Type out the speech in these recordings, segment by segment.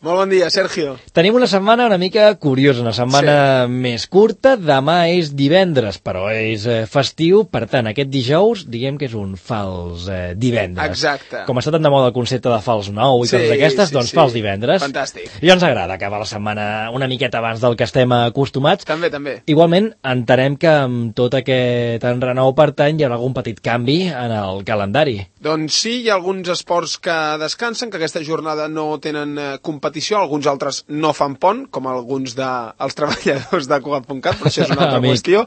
Molt bon dia, Sergio. Tenim una setmana una mica curiosa, una setmana més curta. Demà és divendres, però és festiu. Per tant, aquest dijous, diguem que és un fals divendres. Exacte. Com està tan de moda el concepte de fals nou i coses d'aquestes, doncs fals divendres. Fantàstic. I ens agrada acabar la setmana una miqueta abans del que estem acostumats. També. Igualment, entenem que amb tot aquest enrenou, per tant, hi haurà algun petit canvi en el calendari. Doncs sí, hi ha alguns esports que descansen, que aquesta jornada no tenen competició, alguns altres no fan pont, com alguns dels treballadors de Cugat.cat, però això és una altra qüestió.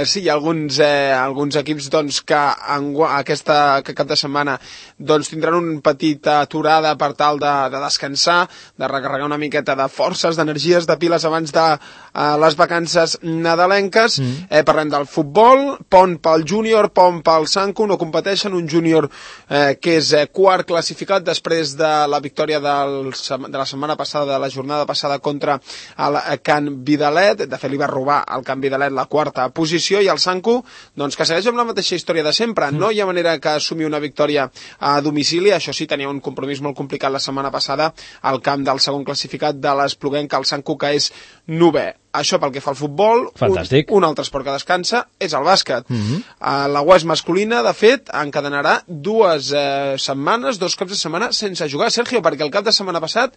Sí, hi ha alguns equips doncs, que aquest cap de setmana doncs, tindran una petita aturada per tal de descansar, de recarregar una miqueta de forces, d'energies, de piles abans de les vacances nadalenques. Parlem del futbol, pont pel júnior, pont pel Sanku, no competeixen, un júnior que és quart classificat després de la victòria de la setmana passada, de la jornada passada contra el Can Vidalet. De fet, li va robar al Can Vidalet la quarta posició, i el Sanku, doncs, que segueix amb la mateixa història de sempre. No hi ha manera que assumi una victòria a domicili. Això sí, tenia un compromís molt complicat la setmana passada al camp del segon classificat de l'Espluguenca, el Sanku, que és 9è. Això pel que fa al futbol. Fantàstic. Un altre esport que descansa és el bàsquet. La UES masculina, de fet, encadenarà 2 setmanes, 2 cops de setmana sense jugar, Sergio, perquè el cap de setmana passat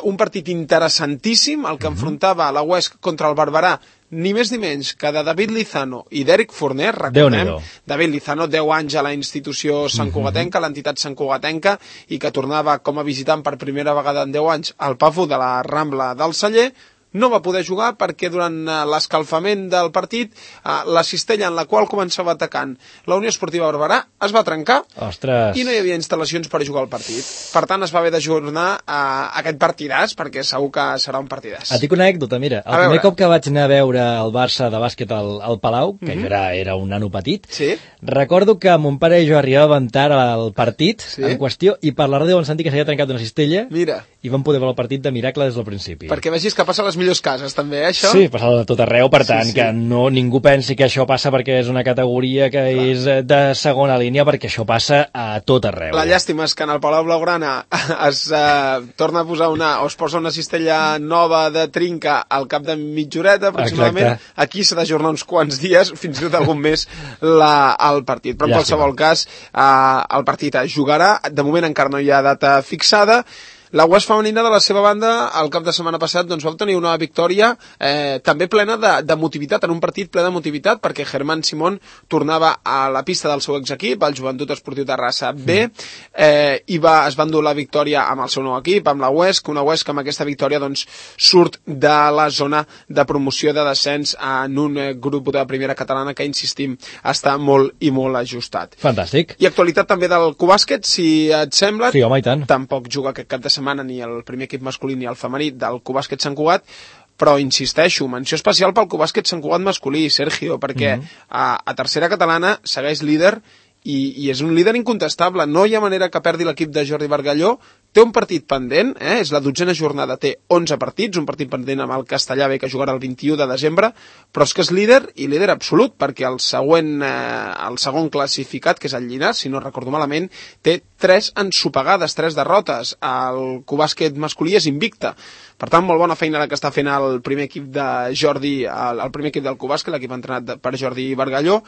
un partit interessantíssim, el que enfrontava la UES contra el Barberà, ni més ni menys que de David Lizano i d'Eric Forner. Recordem, David Lizano, 10 anys a la institució santcugatenca, l'entitat santcugatenca, i que tornava com a visitant per primera vegada en 10 anys al Pafu de la Rambla del Celler. No va poder jugar perquè durant l'escalfament del partit la cistella en la qual començava atacant la Unió Esportiva Barberà es va trencar. Ostres. I no hi havia instal·lacions per jugar al partit. Per tant, es va haver d'ajornar aquest partidàs, perquè segur que serà un partidàs. Et dic una anècdota, mira. El primer cop que vaig anar a veure el Barça de bàsquet al Palau, que jo era un nano petit, recordo que mon pare i jo arribàvem tard al partit en qüestió, i per la ràdio vam sentir que s'havia trencat una cistella. Mira. I vam poder veure el partit de miracle des del principi. Perquè vegis que passa a les millors cases, també, això? Sí, passa de tot arreu, per tant, que ningú pensi que això passa perquè és una categoria que és de segona línia, perquè això passa a tot arreu. La llàstima és que en el Palau Blaugrana es torna a posar o es posa una cistella nova de trinca al cap de mitja horeta, aproximadament. Exacte. Aquí s'ha d'ajornar uns quants dies, fins i tot algun mes, el partit. Però en qualsevol cas, el partit es jugarà. De moment encara no hi ha data fixada. La UES femenina, de la seva banda, el cap de setmana passat doncs, va obtenir una victòria també plena de motivitat, en un partit ple de motivitat, perquè Germán Simón tornava a la pista del seu exequip, el Joventut Esportiu Terrassa B, i es va endur la victòria amb el seu nou equip, amb la UESC, una UESC que amb aquesta victòria doncs, surt de la zona de promoció de descens en un grup de primera catalana que, insistim, està molt i molt ajustat. Fantàstic. I actualitat també del Cubàsquet, si et sembla. Sí, home, i tant. Tampoc juga aquest cap de setmana ni el primer equip masculí ni el femení del Cubàsquet Sant Cugat, però insisteixo, menció especial pel Cubàsquet Sant Cugat masculí, Sergio, perquè a tercera catalana segueix líder i és un líder incontestable. No hi ha manera que perdi l'equip de Jordi Bargalló. Té un partit pendent, és la 12a jornada, té 11 partits, un partit pendent amb el Castellà B que jugarà el 21 de desembre, però és que és líder, i líder absolut, perquè el segon classificat, que és el Llinars, si no recordo malament, té 3 ensopegades, 3 derrotes. El Cubàsquet masculí és invicte. Per tant, molt bona feina la que està fent el primer equip de Jordi, el primer equip del Cubàsquet, l'equip entrenat per Jordi Bargalló.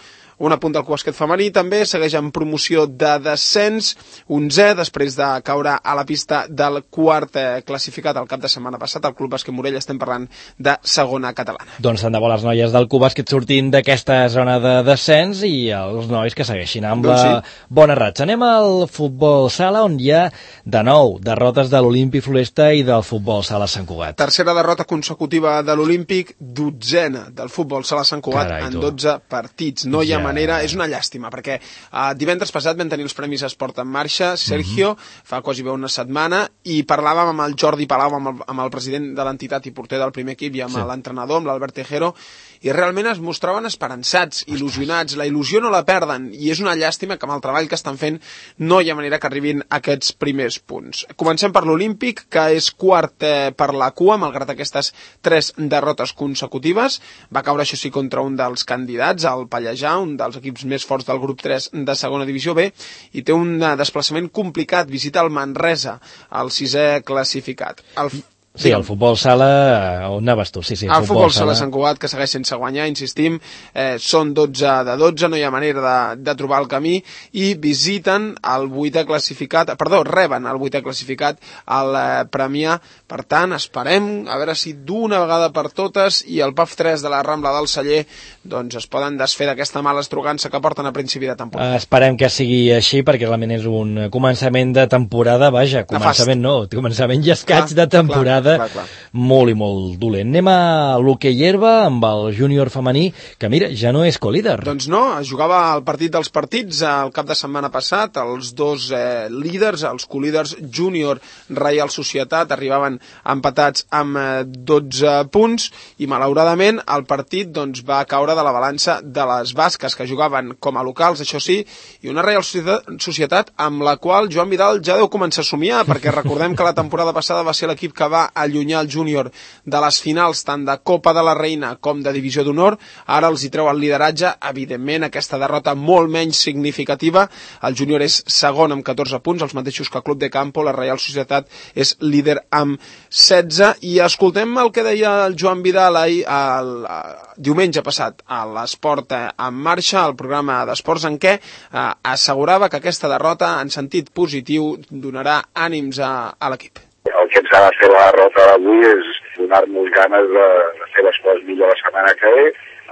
Un apunt del Cubàsquet femení també, segueix en promoció de descens, 11è, després de caure a la pista del quart classificat el cap de setmana passat, el Club Bàsquet Morell. Estem parlant de segona catalana. Doncs tant de bo les noies del Cubàsquet sortint d'aquesta zona de descens i els nois que segueixin amb la bona ratxa. Anem al futbol sala, on hi ha de nou derrotes de l'Olímpic Floresta i del futbol sala Sant Cugat. Tercera derrota consecutiva de l'Olímpic, 12a del futbol sala Sant Cugat en 12 partits. No hi ha manera, és una llàstima, perquè divendres passat vam tenir els Premis Esport en Marxa, Sergio, fa quasi bé una setmana, i parlàvem amb el Jordi Palau, amb el president de l'entitat i porter del primer equip, i amb l'entrenador, amb l'Albert Tejero, i realment es mostraven esperançats, il·lusionats, la il·lusió no la perden, i és una llàstima que amb el treball que estan fent no hi ha manera que arribin aquests primers punts. Comencem per l'Olímpic, que és quart per la cua, malgrat aquestes 3 derrotes consecutives. Va caure, això sí, contra un dels candidats, el Pallejà, un dels equips més forts del grup 3 de segona divisió B, i té un desplaçament complicat. Visita el Manresa el 6è classificat. Sí, el futbol sala, on anaves tu? Sí, el futbol sala Sant Cugat, que segueix sense guanyar, insistim, són 12 de 12, no hi ha manera de trobar el camí, i visiten el 8è classificat, reben el 8è classificat al Premià. Per tant, esperem a veure si d'una vegada per totes i el PAF 3 de la Rambla del Celler doncs es poden desfer d'aquesta mala estrugança que porten a principi de temporada. Esperem que sigui així, perquè realment és un començament de temporada, vaja, començament i escaig de temporada. Clar. Molt i molt dolent. Anem a l'hoquei herba amb el júnior femení, que mira, ja no és colíder. Doncs no, es jugava el partit dels partits el cap de setmana passat, els dos líders, els colíders júnior Reial Societat, arribaven empatats amb 12 punts i malauradament el partit doncs, va caure de la balança de les basques, que jugaven com a locals, això sí, i una Reial Societat amb la qual Joan Vidal ja deu començar a somiar, perquè recordem que la temporada passada va ser l'equip que va allunyar el júnior de les finals tant de Copa de la Reina com de Divisió d'Honor. Ara els hi treu el lideratge, evidentment aquesta derrota molt menys significativa. El júnior és segon amb 14 punts, els mateixos que el Club de Campo. La Reial Societat és líder amb 16, i escoltem el que deia el Joan Vidal el diumenge passat a l'Esport en Marxa, el programa d'esports, en què assegurava que aquesta derrota en sentit positiu donarà ànims a l'equip. El que ens ha de fer la derrota d'avui és donar-nos ganes de fer les coses millor la setmana que ve,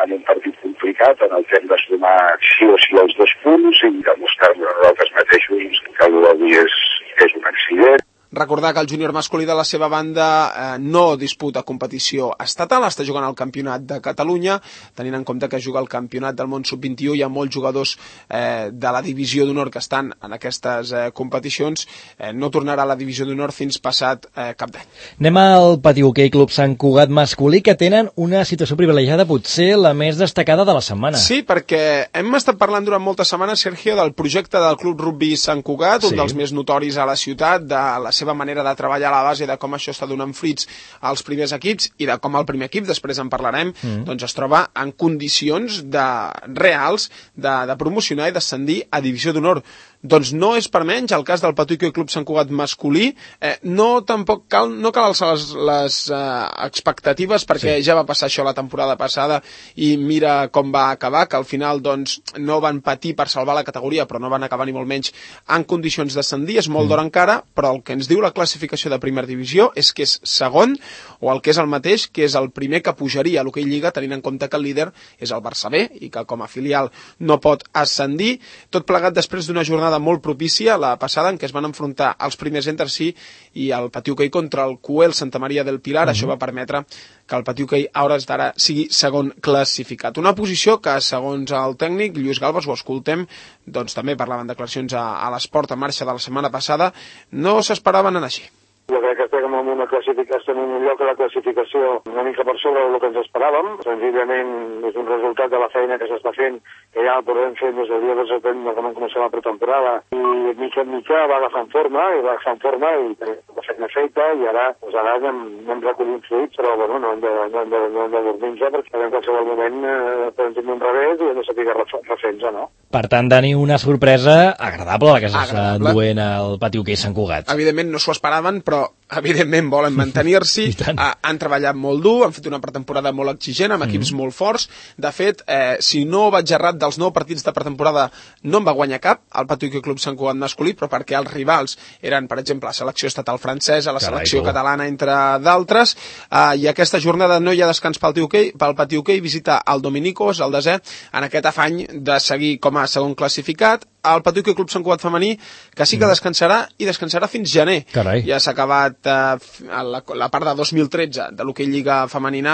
en un partit complicat en el que hem de sumar sí o sí els 2 punts i demostrar-nos a nosaltres mateixos que el d'avui és un accident. Recordar que el júnior masculí de la seva banda no disputa competició estatal, està jugant al campionat de Catalunya, tenint en compte que juga al campionat del món sub-21, hi ha molts jugadors de la divisió d'honor que estan en aquestes competicions, no tornarà a la divisió d'honor fins passat cap d'any. Anem al Pati Hoquei Club Sant Cugat masculí, que tenen una situació privilegiada, potser la més destacada de la setmana. Sí, perquè hem estat parlant durant moltes setmanes, Sergio, del projecte del Club Rugby Sant Cugat, un dels més notoris a la ciutat, de la seva manera de treballar a la base, de com això està donant fruits als primers equips i de com el primer equip, després en parlarem, doncs es troba en condicions reals de promocionar i d'ascendir a Divisió d'Honor. Doncs no és per menys el cas del Pati Hoquei Club Sant Cugat masculí. No cal alçar les expectatives, perquè ja va passar això la temporada passada i mira com va acabar, que al final doncs, no van patir per salvar la categoria, però no van acabar ni molt menys en condicions d'ascendir. És molt d'hora encara, però el que ens diu la classificació de primera divisió és que és segon, o el que és el mateix, que és el primer que pujaria a l'Hoquei Lliga, tenint en compte que el líder és el Barça B i que com a filial no pot ascendir. Tot plegat després d'una jornada molt propícia, la passada, en què es van enfrontar els primers entre si i el Pati Hoquei contra el Cuel Santa Maria del Pilar. Això va permetre que el Pati Hoquei a hores d'ara sigui segon classificat. Una posició que, segons el tècnic Lluís Galbas, ho escoltem, doncs també parlaven declaracions a l'Esport en Marxa de la setmana passada, no s'esperaven anar així. Jo crec que estem en una classificació, en un lloc a la classificació una mica per sobre del que ens esperàvem. Senzillament és un resultat de la feina que s'està fent, que ja el podem fer des del dia 12 de setembre, quan comencem la pretemporada, i mica en mica va agafant forma i la feina feta, i ara anem recollint fruits, però bueno, no hem de dormir-nos, perquè en qualsevol moment podem tenir un revés i hem de saber refer-nos, no? Per tant, Dani, una sorpresa agradable la que s'està duent al Pati Hoquei Sant Cugat. Evidentment no s'ho esperaven, però evidentment volen mantenir-s'hi, han treballat molt dur, han fet una pretemporada molt exigent, amb equips molt forts. De fet, si no vaig errat, dels 9 partits de pretemporada no en va guanyar cap, el Pati Hoquei Club Sant Cugat masculí, però perquè els rivals eren, per exemple, la selecció estatal francesa, la selecció catalana, entre d'altres, i aquesta jornada no hi ha descans pel Pati Hoquei, visita el Dominicos, el desè, en aquest afany de seguir com a segon classificat. El Pati Hoquei Club Sant Cugat femení, que sí que descansarà, i descansarà fins gener. Carai. Ja s'ha acabat la part de 2013 de l'Hoquei Lliga femenina,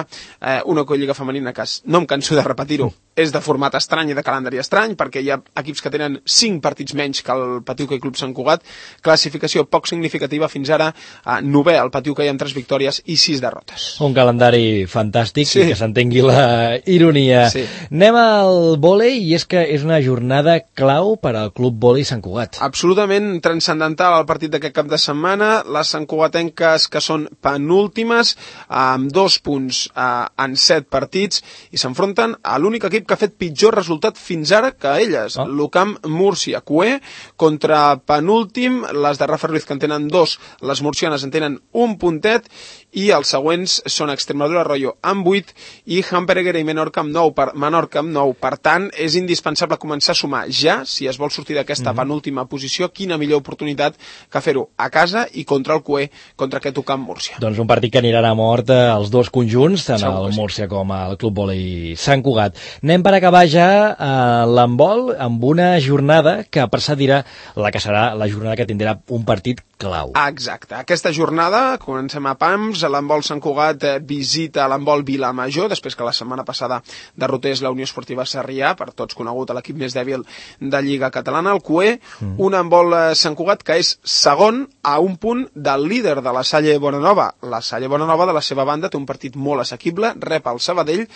una Hoquei Lliga femenina que no em canso de repetir-ho, és de format estrany i de calendari estrany, perquè hi ha equips que tenen 5 partits menys que el Pati Hoquei Club Sant Cugat, classificació poc significativa fins ara, 9è el Pati Hoquei amb 3 victòries i 6 derrotes. Un calendari fantàstic, que s'entengui la ironia. Anem al vòlei, i és que és una jornada clau per el Club Vòlei Sant Cugat. Absolutament transcendental el partit d'aquest cap de setmana. Les santcugatenques que són penúltimes, amb 2 punts en 7 partits, i s'enfronten a l'únic equip que ha fet pitjor resultat fins ara que elles, l'UCAM Múrcia. CUE contra penúltim, les de Rafa Ruiz que en tenen 2, les murcianes en tenen 1 puntet, i els següents són Extremadura Arroyo amb 8 i Hampereguera i Menorca amb 9. Per tant, és indispensable començar a sumar ja, si es vol sortir d'aquesta penúltima posició. Quina millor oportunitat que fer-ho a casa i contra el CUE, contra aquest UCAM Múrcia. Doncs un partit que anirà a mort als dos conjunts, tant el Múrcia com el Club Vòlei Sant Cugat. Anem per acabar ja a l'handbol amb una jornada que per ça dirà la que serà la jornada que tindrà un partit clau. Exacte. Aquesta jornada, comencem a Pams, l'handbol Sant Cugat visita l'handbol Vilamajor, després que la setmana passada derrotés la Unió Esportiva Sarrià, per tots conegut a l'equip més dèbil de Lliga Catalana, el CUE, un handbol Sant Cugat que és segon a un punt del líder de la Salle Bonanova. La Salle Bonanova, de la seva banda, té un partit molt assequible, rep el Sabadell.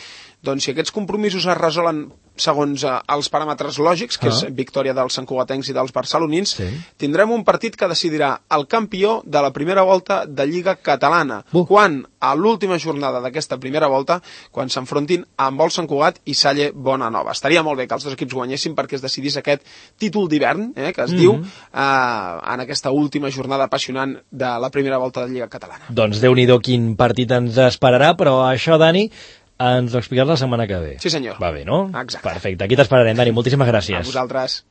Doncs si aquests compromisos es resolen segons els paràmetres lògics, que és victòria dels santcugatencs i dels barcelonins, tindrem un partit que decidirà el campió de la primera volta de Lliga Catalana, quan a l'última jornada d'aquesta primera volta, quan s'enfrontin amb el Sant Cugat i Salle Bonanova. Estaria molt bé que els dos equips guanyessin perquè es decidís aquest títol d'hivern, que es diu, en aquesta última jornada apassionant de la primera volta de Lliga Catalana. Doncs Déu-n'hi-do quin partit ens esperarà, però això, Dani, ens ho explicaràs la setmana que ve. Sí, senyor. Va bé, no? Exacte. Perfecte. Aquí t'esperarem, Dani. Moltíssimes gràcies. A vosaltres.